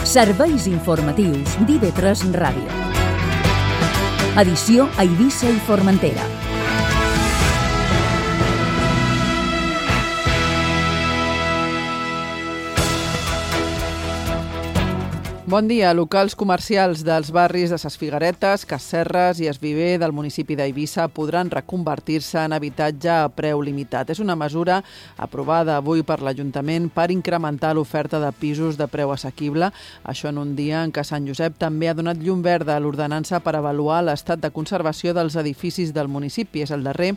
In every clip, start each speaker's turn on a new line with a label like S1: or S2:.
S1: Serveis informatius d'IV3 Ràdio. Edició a Eivissa i Formentera.
S2: Bon dia. Locals comercials dels barris de Ses Figueretes, Cas Serres i Es Viver del municipi d'Eivissa podran reconvertir-se en habitatge a preu limitat. És una mesura aprovada avui per l'Ajuntament per incrementar l'oferta de pisos de preu assequible. Això en un dia en què Sant Josep també ha donat llum verda a l'ordenança per avaluar l'estat de conservació dels edificis del municipi. És el darrer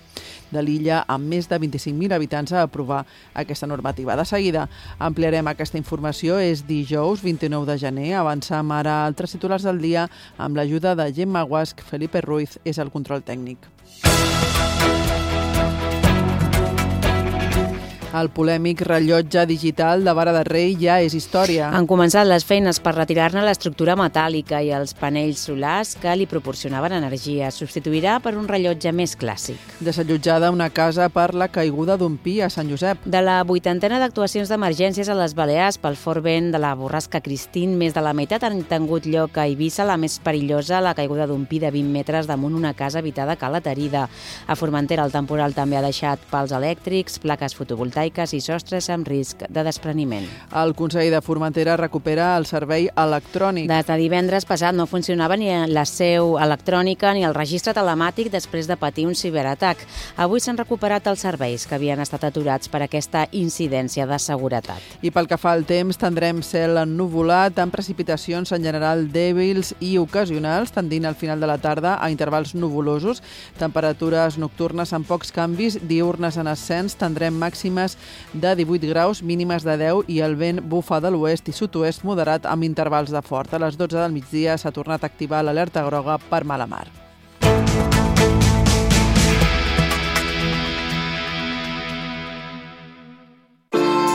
S2: de l'illa amb més de 25.000 habitants a aprovar aquesta normativa. De seguida ampliarem aquesta informació. És dijous 29 de gener. Avancem ara a altres titulars del dia amb l'ajuda de Gemma Guasc. Felipe Ruiz és el control tècnic. El polèmic rellotge digital de Vara de Rei ja és història.
S3: Han començat les feines per retirar-ne l'estructura metàl·lica i els panells solars que li proporcionaven energia. Substituirà per un rellotge més clàssic.
S2: Desallotjada una casa per la caiguda d'un pi a Sant Josep.
S3: De la 80ena d'actuacions d'emergències a les Balears pel fort vent de la borrasca Christine, més de la meitat han tingut lloc a Eivissa, la més perillosa, la caiguda d'un pi de 20 metres damunt una casa habitada a Cala Terida. A Formentera el temporal també ha deixat pals elèctrics, plaques fotovoltaiques i sostres amb risc de despreniment.
S2: El Consell de Formentera recupera el servei electrònic.
S3: Des de divendres passat no funcionava ni la seu electrònica ni el registre telemàtic després de patir un ciberatac. Avui s'han recuperat els serveis que havien estat aturats per aquesta incidència de seguretat.
S2: I pel que fa al temps, tindrem cel ennuvolat amb precipitacions en general dèbils i ocasionals, tendint al final de la tarda a intervals nuvolosos, temperatures nocturnes amb pocs canvis, diürnes en ascens, tindrem màximes de 18 graus, mínimes de 10 i el vent bufa de l'oest i sud-oest moderat amb intervals de fort. A les 12 del migdia s'ha tornat a activar l'alerta groga per mala mar.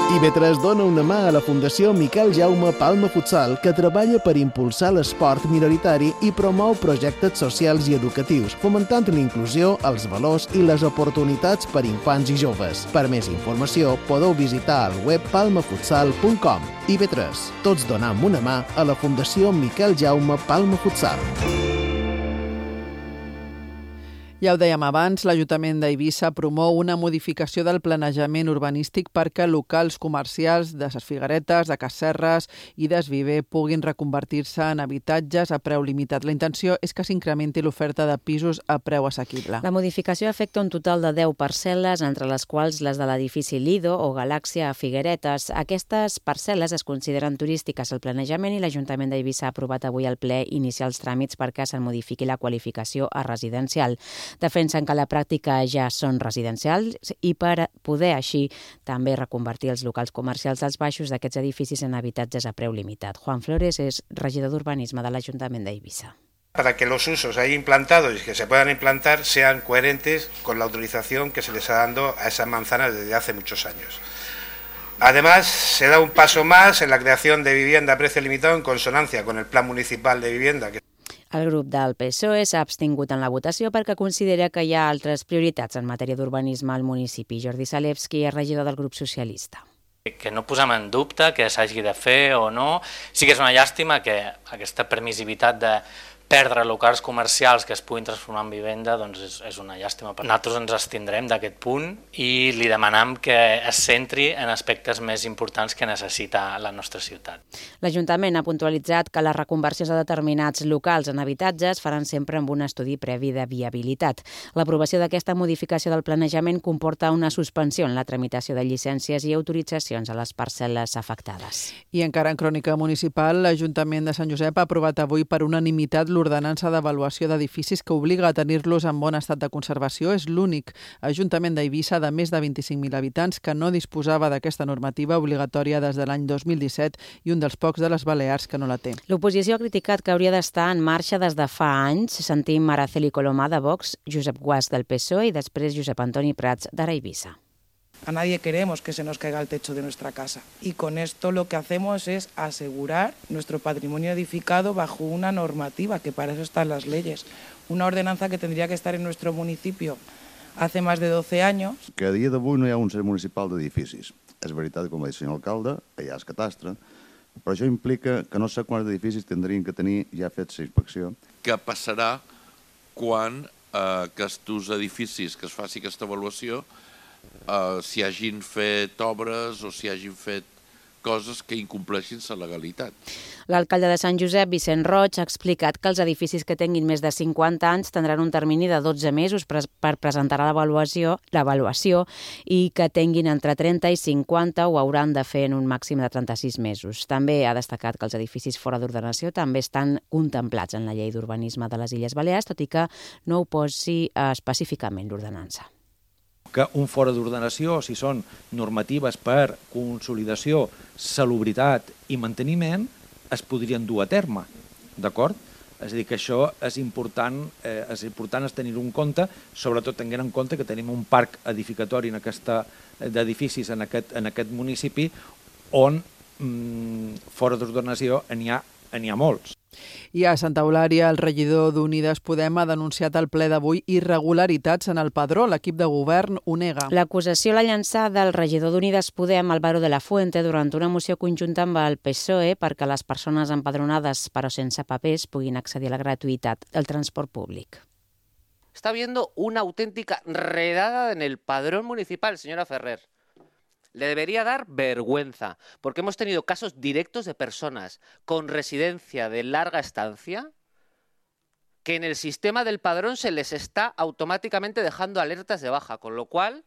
S4: IV3 dona una mà a la Fundació Miquel Jaume Palma Futsal, que treballa per impulsar l'esport minoritari i promou projectes socials i educatius, fomentant l'inclusió, els valors i les oportunitats per infants i joves. Per més informació, podeu visitar el web palmafutsal.com. IV3, tots donam una mà a la Fundació Miquel Jaume Palma Futsal.
S2: Ja ho dèiem abans, l'Ajuntament d'Eivissa promou una modificació del planejament urbanístic perquè locals comercials de Ses Figueretes, de Cas Serres i d'Es Viver puguin reconvertir-se en habitatges a preu limitat. La intenció és que s'incrementi l'oferta de pisos a preu assequible.
S3: La modificació afecta un total de 10 parcel·les, entre les quals les de l'edifici Lido o Galàxia a Figueretes. Aquestes parcel·les es consideren turístiques al planejament i l'Ajuntament d'Eivissa ha aprovat avui al ple iniciar els tràmits perquè se'n modifiqui la qualificació a residencial. Defensen que a la pràctica ja són residencials i per poder així també reconvertir els locals comercials dels baixos d'aquests edificis en habitatges a preu limitat. Juan Flores és regidor d'Urbanisme de l'Ajuntament d'Eivissa.
S5: Para que los usos ahí implantados y que se puedan implantar sean coherentes con la autorización que se les está dando a esas manzanas desde hace muchos años. Además, se da un paso más en la creación de vivienda a precio limitado en consonancia con el Plan Municipal de Vivienda.
S3: El grup del PSOE s'ha abstingut en la votació perquè considera que hi ha altres prioritats en matèria d'urbanisme al municipi. Jordi Salevski és regidor del grup socialista.
S6: Que no posem en dubte que s'hagi de fer o no. Sí que és una llàstima que aquesta permissivitat de perdre locals comercials que es puguin transformar en vivenda, doncs és una llàstima. Nosaltres ens abstindrem d'aquest punt i li demanem que es centri en aspectes més importants que necessita la nostra ciutat.
S3: L'Ajuntament ha puntualitzat que les reconversions de determinats locals en habitatges faran sempre amb un estudi previ de viabilitat. L'aprovació d'aquesta modificació del planejament comporta una suspensió en la tramitació de llicències i autoritzacions a les parcel·les afectades.
S2: I encara en crònica municipal, l'Ajuntament de Sant Josep ha aprovat avui per unanimitat l'ordenança d'avaluació d'edificis que obliga a tenir-los en bon estat de conservació. És l'únic Ajuntament d'Eivissa de més de 25.000 habitants que no disposava d'aquesta normativa obligatòria des de l'any 2017 i un dels pocs de les Balears que no la té.
S3: L'oposició ha criticat que hauria d'estar en marxa des de fa anys. Sentim Araceli Colomà de Vox, Josep Guas del PSOE i després Josep Antoni Prats d'Ara Eivissa.
S7: A nadie queremos que se nos caiga el techo de nuestra casa. Y con esto lo que hacemos es asegurar nuestro patrimonio edificado bajo una normativa, que para eso están las leyes. Una ordenanza que tendría que estar en nuestro municipio hace más de 12 años.
S8: Que a dia d'avui no hi ha un cens municipal d'edificis. És veritat, com va dir el senyor alcalde, que hi ha el catastre, però això implica que no sé quants edificis tindrien que tenir ja fets la inspecció.
S9: Què passarà quan aquests edificis que es faci aquesta avaluació s'hi hagin fet obres o s'hi hagin fet coses que incompleixin la legalitat?
S3: L'alcalde de Sant Josep, Vicent Roig, ha explicat que els edificis que tinguin més de 50 anys tindran un termini de 12 mesos per presentar l'avaluació i que tinguin entre 30 i 50 ho hauran de fer en un màxim de 36 mesos. També ha destacat que els edificis fora d'ordenació també estan contemplats en la llei d'urbanisme de les Illes Balears, tot i que no ho posi específicament l'ordenança.
S10: Que un fora d'ordenació, si són normatives per consolidació, salubritat i manteniment, es podrien dur a terme, d'acord? És a dir, que això és important tenir-ho en compte, sobretot tenint en compte que tenim un parc edificatori d'edificis en aquest municipi on fora d'ordenació n'hi ha molts.
S2: I a Santa Eulària, el regidor d'Unides Podem ha denunciat al ple d'avui irregularitats en el padró. L'equip de govern ho nega.
S3: L'acusació l'ha llançada el regidor d'Unides Podem, Álvaro de la Fuente, durant una moció conjunta amb el PSOE perquè les persones empadronades però sense papers puguin accedir a la gratuïtat del transport públic.
S11: Está habiendo una auténtica redada en el padrón municipal, señora Ferrer. Le debería dar vergüenza, porque hemos tenido casos directos de personas con residencia de larga estancia que en el sistema del padrón se les está automáticamente dejando alertas de baja, con lo cual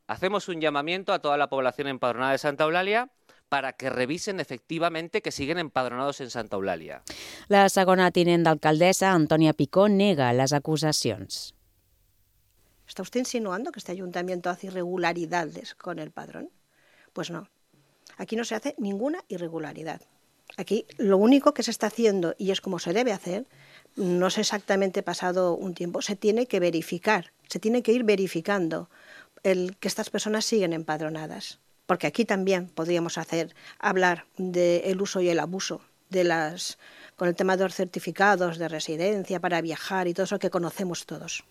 S11: hacemos un llamamiento a toda la población empadronada de Santa Eulàlia para que revisen efectivamente que siguen empadronados en Santa Eulàlia.
S3: La segona tinent d'alcaldessa, Antònia Picó, nega les acusacions.
S12: ¿Está usted insinuando que este ayuntamiento hace irregularidades con el padrón? Pues no, aquí no se hace ninguna irregularidad. Aquí lo único que se está haciendo, y es como se debe hacer, no sé exactamente pasado un tiempo, se tiene que verificar, se tiene que ir verificando que estas personas siguen empadronadas. Porque aquí también podríamos hablar del uso y el abuso con el tema de los certificados de residencia para viajar y todo eso que conocemos todos.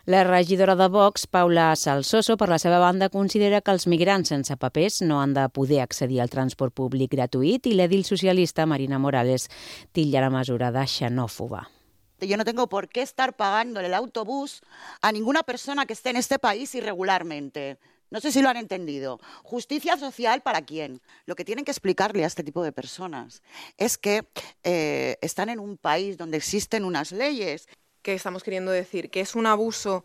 S3: La regidora de Vox, Paula Salsoso, per la seva banda, considera que els migrants sense papers no han de poder accedir al transport públic gratuït i l'edil socialista Marina Morales titlla la mesura de xenòfoba.
S13: Yo no tengo por qué estar pagando el autobús a ninguna persona que esté en este país irregularmente. No sé si lo han entendido. ¿Justicia social para quién? Lo que tienen que explicarle a este tipo de personas es que están en un país donde existen unas leyes.
S14: Que estamos queriendo decir que es un abuso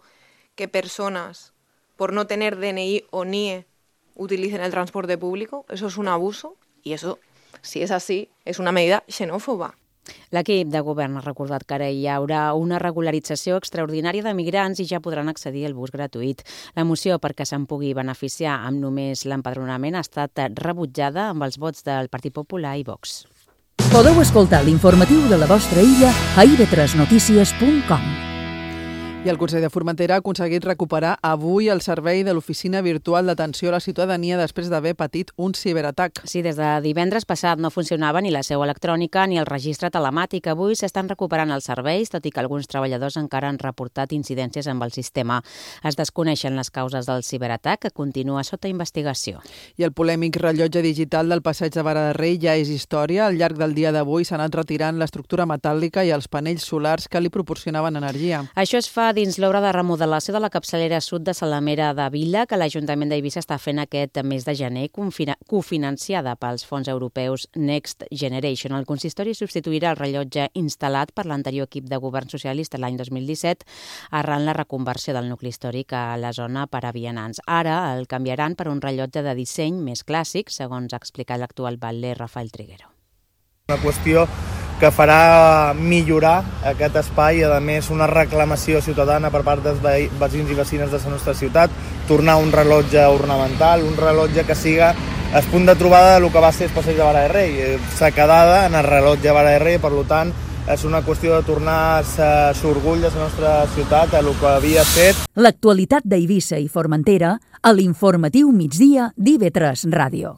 S14: que personas, por no tener DNI o NIE, utilicen el transporte público. Eso es un abuso y eso, si es así, es una medida xenòfoba.
S3: L'equip de govern ha recordat que ara hi haurà una regularització extraordinària de migrants i ja podran accedir al bus gratuït. La moció perquè se'n pugui beneficiar amb només l'empadronament ha estat rebutjada amb els vots del Partit Popular i Vox.
S1: Podeu escoltar l'informatiu de la vostra illa a ib3notícies.com.
S2: I el Consell de Formentera ha aconseguit recuperar avui el servei de l'Oficina Virtual d'Atenció a la Ciutadania després d'haver patit un ciberatac.
S3: Sí, des de divendres passat no funcionava ni la seu electrònica ni el registre telemàtic. Avui s'estan recuperant els serveis, tot i que alguns treballadors encara han reportat incidències amb el sistema. Es desconeixen les causes del ciberatac, que continua sota investigació.
S2: I el polèmic rellotge digital del Passeig de Vara de Rei ja és història. Al llarg del dia d'avui s'ha anat retirant l'estructura metàl·lica i els panells solars que li proporcionaven energia.
S3: Això es fa dins l'obra de remodelació de la capçalera sud de Salamera de Vila, que l'Ajuntament d'Eivissa està fent aquest mes de gener, cofinanciada pels fons europeus Next Generation. El consistori substituirà el rellotge instal·lat per l'anterior equip de govern socialista l'any 2017 arran la reconversió del nucli històric a la zona per a vianants. Ara el canviaran per un rellotge de disseny més clàssic, segons ha explicat l'actual batler Rafael Triguero.
S15: Una qüestió que farà millorar aquest espai i, a més, una reclamació ciutadana per part dels veïns i veïnes de la nostra ciutat, tornar un rellotge ornamental, un rellotge que siga el punt de trobada del que va ser el Passeig de Vara de Rei, s'ha quedat en el rellotge de Vara de Rei, per tant, és una qüestió de tornar-se l'orgull de la nostra ciutat, a el que havia estat.
S1: L'actualitat d'Eivissa i Formentera a l'informatiu migdia d'IV3 Ràdio.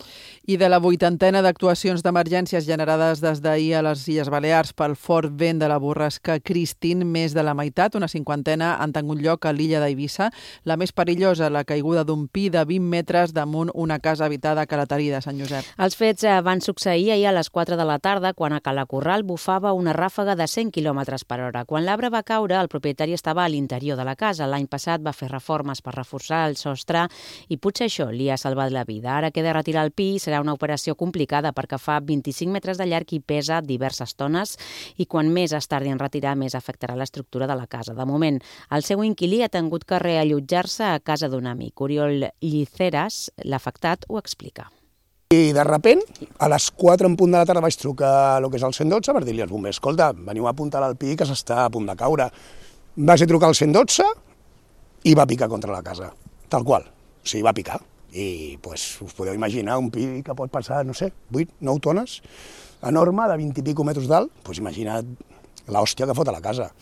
S2: I de la 80ena d'actuacions d'emergències generades des d'ahir a les Illes Balears pel fort vent de la borrasca Christine, més de la meitat, una 50ena, han tingut lloc a l'illa d'Eivissa. La més perillosa, la caiguda d'un pi de 20 metres damunt una casa habitada a Calatarida, Sant Josep.
S3: Els fets van succeir ahir a les 4 de la tarda, quan a Calacorral bufava una ràfega de 100 km per hora. Quan l'arbre va caure, el propietari estava a l'interior de la casa. L'any passat va fer reformes per reforçar el sostre i potser això li ha salvat la vida. Ara queda retirar el pi, serà una operació complicada perquè fa 25 metres de llarg i pesa diverses tones i quan més es tardi en retirar, més afectarà l'estructura de la casa. De moment, el seu inquilí ha tingut que reallotjar-se a casa d'un amic. Oriol Lliceras, l'afectat, ho explica.
S16: I de repent, a les 4 en punt de la tarda vaig trucar a lo que és el 112 per dir-li als bombers: escolta, veniu a apuntar al pi que s'està a punt de caure. Vaig trucar al 112 i va picar contra la casa, tal qual. O sigui, va picar. I pues, us podeu imaginar un pi que pot passar, no sé, 8, 9 tones, enorme, de 20 i pico metres d'alt, pues imagina't l'hòstia que fot a la casa.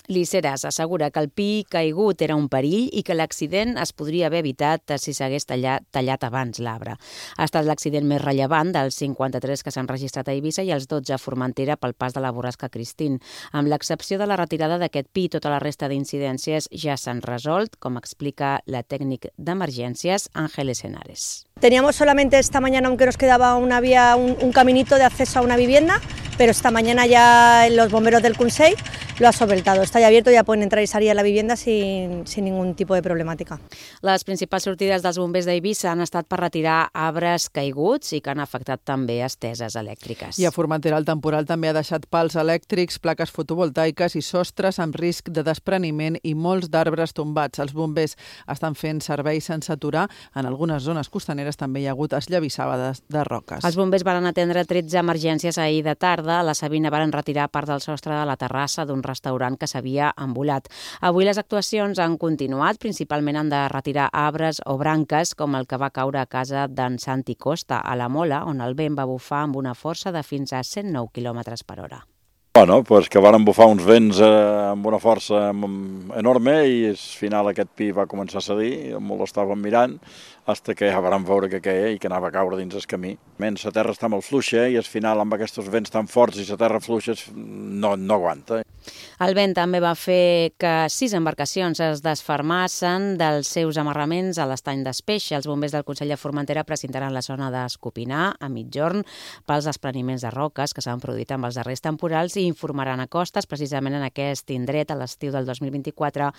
S3: Liceras assegura que el pi caigut era un perill i que l'accident es podria haver evitat si s'hagués tallat abans l'arbre. Ha estat l'accident més rellevant dels 53 que s'han registrat a Eivissa i els 12 a Formentera pel pas de la borrasca Christine. Amb l'excepció de la retirada d'aquest pi, tota la resta d'incidències ja s'han resolt, com explica la tècnic d'emergències Ángeles Henares.
S17: Teníamos solamente esta mañana, aunque nos quedaba una vía, un caminito de acceso a una vivienda, pero esta mañana ya los bomberos del Consell lo ha solventado. Está ya abierto, ya pueden entrar y salir a la vivienda sin ningún tipo de problemàtica.
S3: Les principals sortides dels bombers d'Eivissa han estat per retirar arbres caiguts i que han afectat també esteses elèctriques.
S2: I a Formentera el temporal també ha deixat pals elèctrics, plaques fotovoltaiques i sostres amb risc de despreniment i molts d'arbres tombats. Els bombers estan fent servei sense aturar. En algunes zones costaneres també hi ha hagut esllavissades de roques.
S3: Els bombers van atendre 13 emergències ahir de tarda. A la Sabina van retirar part del sostre de la terrassa d'un restaurant que s'havia envolat. Avui les actuacions han continuat, principalment han de retirar arbres o branques, com el que va caure a casa d'en Santi Costa, a la Mola, on el vent va bufar amb una força de fins a 109 km per hora.
S18: Bueno, pues que van bufar uns vents amb una força enorme i al final aquest pi va començar a cedir, molt l'estàvem mirant, fins que ja vam veure que queia i que anava a caure dins el camí. La terra està molt fluixa i al final amb aquests vents tan forts i la terra fluixa no aguanta.
S3: El vent també va fer que 6 embarcacions es desfermassen dels seus amarraments a l'estany d'Espeix. Els bombers del Consell de Formentera presentaran la zona d'Escopinar a mitjorn pels despreniments de roques que s'han produït amb els darrers temporals i informaran a costes. Precisament en aquest indret, a l'estiu del 2024,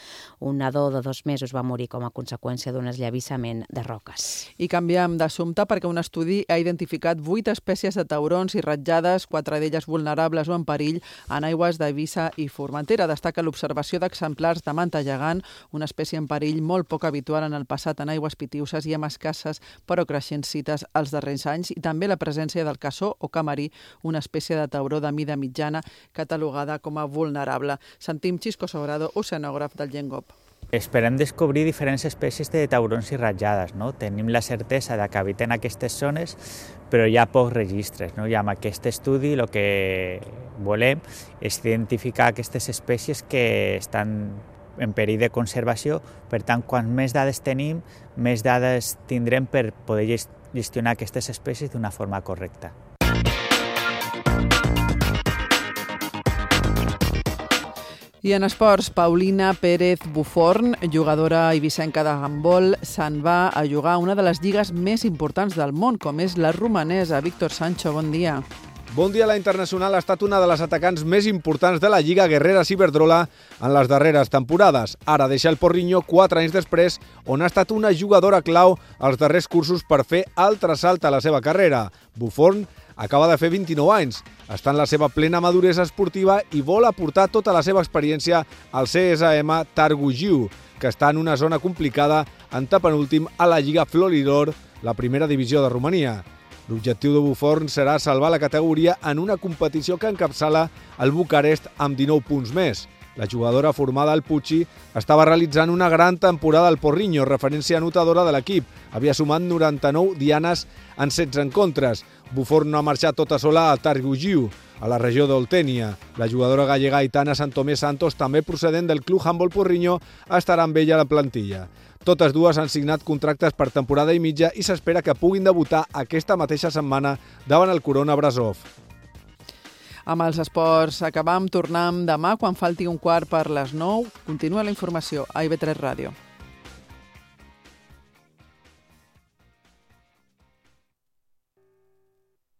S3: un nadó de 2 mesos va morir com a conseqüència d'un esllavissament de roques.
S2: I canviem d'assumpte perquè un estudi ha identificat 8 espècies de taurons i ratjades, 4 d'elles vulnerables o en perill, en aigües d'Eivissa i Formentera. Destaca l'observació d'exemplars de manta gegant, una espècie en perill molt poc habitual en el passat en aigües pitiuses i amb escasses però creixents cites als darrers anys, i també la presència del cassó o camarí, una espècie de tauró de mida mitjana catalogada com a vulnerable. Sentim Xisco Sobrado, oceanògraf del Gengop.
S19: Esperem descobrir diferents espècies de taurons i ratjades, no? Tenim la certesa de que habiten aquestes zones, però hi ha pocs registres, no? I amb aquest estudi el que volem és identificar aquestes espècies que estan en perill de conservació. Per tant, quan més dades tenim, més dades tindrem per poder gestionar aquestes espècies d'una forma correcta.
S2: I en esports, Paulina Pérez Buforn, jugadora eivissenca de handbol, se'n va a jugar a una de les lligues més importants del món, com és la romanesa. Víctor Sancho, bon dia.
S20: Bon dia. La internacional ha estat una de les atacants més importants de la Lliga Guerrera Ciberdrola en les darreres temporades. Ara deixa el Porriño 4 anys després, on ha estat una jugadora clau als darrers cursos per fer altre salt a la seva carrera. Buforn acaba de fer 29 anys, està en la seva plena maduresa esportiva i vol aportar tota la seva experiència al CSM Targu, que està en una zona complicada, antepenúltim a la Lliga Floridor, la primera divisió de Romania. L'objectiu de Buforn serà salvar la categoria en una competició que encapçala el Bucarest amb 19 punts més. La jugadora formada al Pucci estava realitzant una gran temporada al Porriño, referència anotadora de l'equip. Havia sumat 99 dianes en 16 encontres. Bufor no ha marxat tota sola a Targugiu, a la regió d'Oltènia. La jugadora gallega Aitana Santomé Santos, també procedent del Club Handbol Porriño, estarà amb ella a la plantilla. Totes dues han signat contractes per temporada i mitja i s'espera que puguin debutar aquesta mateixa setmana davant el Corona Brasov.
S2: Amb els esports acabam, tornem demà quan falti 1/4 per les 9. Continua la informació a IB3 Ràdio.